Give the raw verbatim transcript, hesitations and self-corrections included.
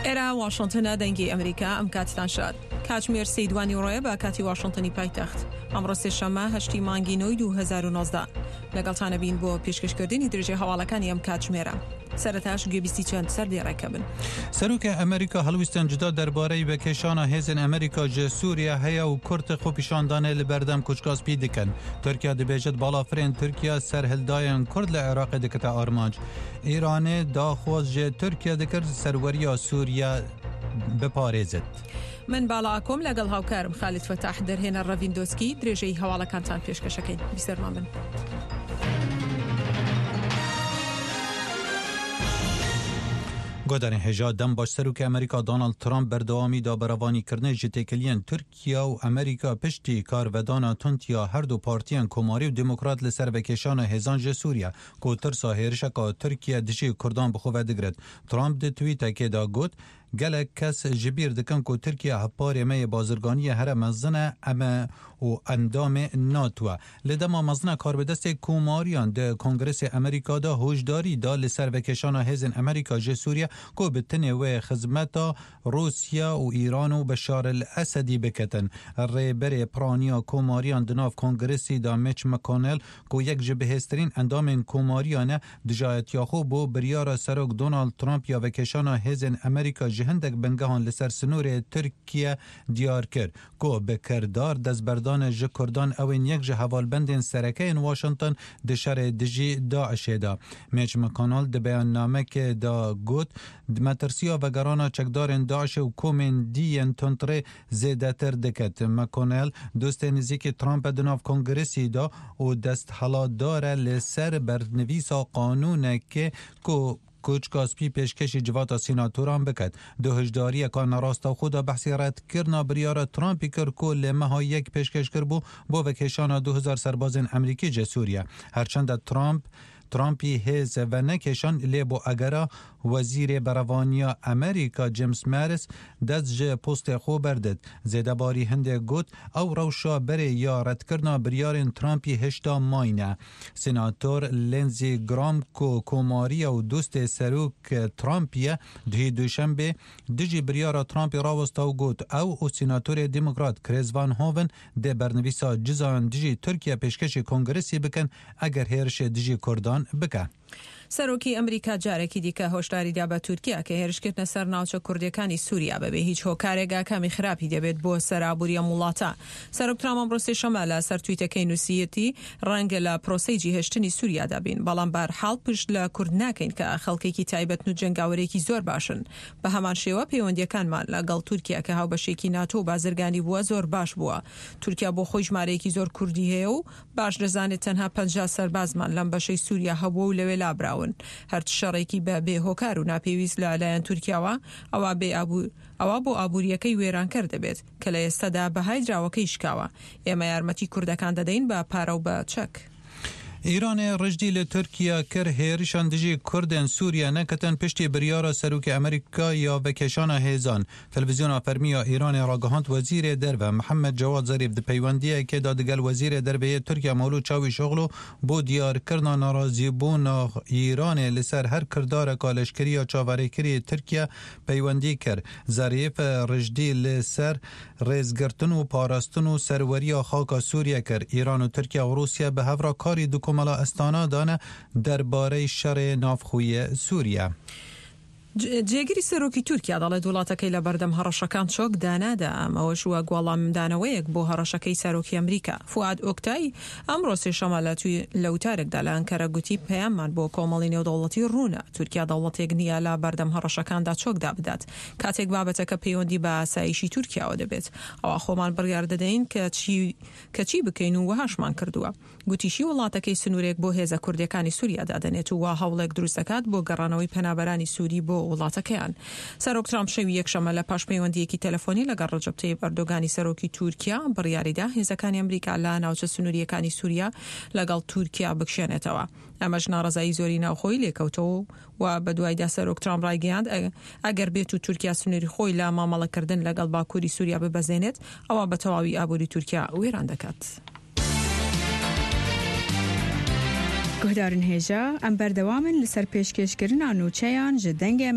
ئێرە واشنتنە، دەنگی ئەمریکا. ئەم کاتتان شاد. کاتژمێر سێی دوانیوەڕۆیە بە کاتی واشنتنی پایتەخت. ئەمڕۆ سێشەممە هەشتی مانگی نۆی دوو هەزار و نۆزدە. لەگەڵتانە بین بۆ پێشکەشکردنی درێژەی هەواڵەکانی ئەم کاتژمێرە. سەرەتاش گوێبیستی چەند سەردێڕێکە بن. سەرۆکê Amerîka helwîstên cuda derbareyî vekêşana hêzên Amerîka ji Sûriye heye û Kurd xwepêşandanê li berdem Koçka Spî dikin. Tirkiye dibêje balafirên Tirkiye serhildayên Kurd li Iraqê dikete armanc. Îranê daxwaz ji Tirkiye dikir serweriya Sûriye biparêzit. من باڵا ئاکۆم لەگەڵ هاوکارم خالید فەتاح دەرهێنەر ڕەڤین دۆسکی درێژەی هەواڵەکانتان پێشکەشەکەین. بیسەرمان بن. گۆدارên hêja dem baş Serokê Amerîka Donald Trump berdewamî da berevanîkirinê ji têkiliyên Tirkiye û Amerîka piştî karvedana tund ya her du partiyên Komarî û Demokrat li ser vekêşana hêzan ji Sûriye ku tirsa hêrişeka Tirkiye dijî Kurdan bi xwe vedigirt. Trump di tweetekê de got gelek kes ji bîr dikin ku Tirkiye hevparê me yê bazirganiyê here mezin e em e û endamê NATO e. Li dema mezina karbidestê Komariyan di Kongresê Amerîka de hojdarî da li ser vekêşana hêzên Amerîka ji Sûriye ku bi tenê wê xizmeta Rûsya û Îran û Beşar el-Esedî biketin. Rêberê piraniya Komariyan di nav Kongresê de Mitch McConnell ku yek ji bihêztirîn endamên Komariyan e dijayetiya xwe bo biryara Serok Donald Trump ya vekêşana hêzên Amerîka ji hindek bingehan li ser sinorê Tirkiye diyar kir ku bi kirdar destberdana ji Kurdan ewên yek ji hevalbendên serekeyên Washington di şerê dijî Daişê de. Mitch McConnell di beyannamekê de got metirsiya vegerana çekdarên Daişê û komên dî yên tundrê zêdetir diket. McConnell dostê nêzîkî Trump e di nav Kongresê de û desthilatdar e li ser bernivîsa qanûnekê ku Koçka Spî pêşkêşî civata senatoran biket. Di hişdariyeka nerastexwe de behsê redkirina biryara Trumpî kir ku li meha yek pêşkêş kiribû bo vekêşana du hezar serbazên Amerîkî ji Sûriye. Herçend Trump Trumpî hêz venekêşan lê bo egera wezîrê berevaniya Amerîka James Mattis dest ji postê xwe berdid. Zêdebarî hindê got ew rewşa berê ya redkirina biryarên Trumpî hişta mayne. Senator Lindsey Graham ku Komariya û dostê Serok Trumpî ye duhî Duşembê dijî biryara Trumpî rawesta û got ew û Senatorê Demokrat Chris Van Hoven dê bernivîsa cizayan dijî Tirkiye pêşkêşî Kongresê bikin eger hêrişê dijî Kurdan bike. سەرۆکی ئەمریکا جارێکی دیکە هۆشداری دا بە تورکیا کە هێرشکردنە سەر ناوچە کوردیەکانی سووریا بەبێ هیچ هۆکارێک ئاکامی خراپی دەبێت بۆ سەر ئابووری ئەم وڵاتە. سەرۆک ترامپ ئەمڕۆ سێشەممە لە سەر تویتەکەی نووسیەتی ڕەنگە لە پرۆسەی جیهێشتنی سووریادا بین، بەڵام بەهەرحاڵ پشت لە کورد ناکەین کە خەڵکێکی تایبەتن و جەنگاوەرێکی زۆر باشن. بە هەمان شێوە پەیوەندیەکانمان لەگەڵ تورکیا کە هاوبەشێکی ناتۆ و بازرگانی بووە زۆر باش بووە. تورکیا بۆ خۆی ژمارەیەکی زۆر کوردی هەیە و باش دەزانێت تەنها پەنجا سەربازمان لەم بەشەی سووریا هەبووە و لەوێ لابراون. هەر شەڕێکی بە بێ هۆکار و ناپێویست لە لایەن تورکیاوە ئەوە بێ ئابوور ئەوە بۆ ئابووریەکەی وێرانکەر دەبێت کە لە ئێستادا بەهای دراوەکەی شکاوە. ئێمە یارمەتی کوردەکان دەدەین بە پارە و بە چەک. ئیرانê ڕژدی li Tirkiye kir hêrişan dijî Kurdên Sûriye neketin piştî biryara Serokê Amerîka ya vekêşana hêzan. Televizyona fermî ya Îranê ragihand Wezîrê Derve Mihemed Cewad Zerîf di peywendiyekê de digel Wezîrê Derve yê Tirkiye Mewlûd Çavuşoglu bo diyarkirina nerazîbûna Îranê li ser her kirdareka leşkerî ya çaverêkirî Tirkiye peywendî kir. Zerîf ڕژدی li ser rêzgirtin û parastin û serweriya xaka Sûriye kir. Îran û Tirkiye û Rûsya bi hev re karî di komela Astana dane derbarey şerê navxweyê Sûriye. جێگری سەرۆکی تورکیا دەڵێت وڵاتەکەی لە بەردەم هەڕەشەکان چۆک دانادا، ئەمەوەش وەک وەڵامدانەوەیەک بۆ هەڕەشەکەی سەرۆکی ئەمریکا. فواد ئۆکتای ئەمڕۆ سێشەممە لە وتارێکدا لە ئەنکەرە گوتی پەیاممان بۆ کۆمەڵی نێودەوڵەتی ڕوونە، تورکیا دەوڵەتێک نییە لە بەردەم هەڕەشەکاندا چۆکدا بدات. کاتێک بابەتەکە پەیوەندی بە ئاسایشی تورکیاوە دەبێت، ئەوە خۆمان بڕیار دەدەین کە چی بکەین و وەهاشمان کردووە. گوتیشی وڵاتەکەی سنوورێک بۆ هێزە کوردیەکانی سووریا دادەنێت و وا هەوڵێک دروست دەکات بۆ گەڕانەوەی پەنابەرانی سووری بۆ وڵاتەکەیان. سەرۆک ترامپ شەوی یەکشەممە لە پاش پەیوەندیەکی تەلەفۆنی لەگەڵ ڕەجەب تەیب ئەردۆگانی سەرۆکی تورکیا بڕیاریدا هێزەکانی ئەمریکا لە ناوچە سنووریەکانی سووریا لەگەڵ تورکیا بکشێنێتەوە. ئەمەش ناڕەزایی زۆری ناوخۆی لێکەوتەوە و بەدوایدا سەرۆک ترامپ ڕایگەیاند ئەگەر بێت و تورکیا سنووری خۆی لە مامەڵەکردن لەگەڵ باکووری سووریا ببەزێنێت، ئەوە بە تەواوی ئابووری تورکیا وێران دەکات. گوهدارن هێژا ئەم بەردەوامن لەسەر پێشکێشکردنا نوچەیان ji dengê